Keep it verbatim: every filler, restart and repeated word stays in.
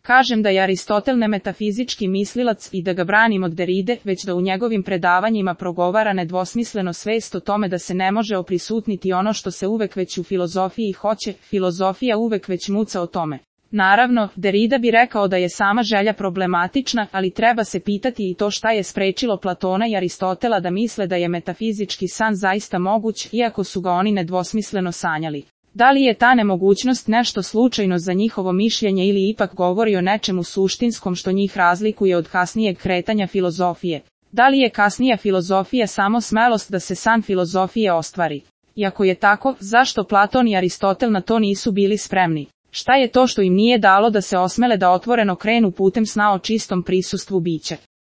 Kažem da je Aristotel ne metafizički mislilac i da ga branim od Deride, već da u njegovim predavanjima progovara nedvosmisleno svest o tome da se ne može oprisutniti ono što se uvek već u filozofiji hoće, filozofija uvek već muca o tome. Naravno, Derida bi rekao da je sama želja problematična, ali treba se pitati i to šta je sprečilo Platona i Aristotela da misle da je metafizički san zaista moguć, iako su ga oni nedvosmisleno sanjali. Da li je ta nemogućnost nešto slučajno za njihovo mišljenje ili ipak govori o nečemu suštinskom što njih razlikuje od kasnijeg kretanja filozofije? Da li je kasnija filozofija samo smelost da se san filozofije ostvari? I ako je tako, zašto Platon i Aristotel na to nisu bili spremni? Šta je to što im nije dalo da se osmele da otvoreno krenu putem sna o čistom prisustvu bića?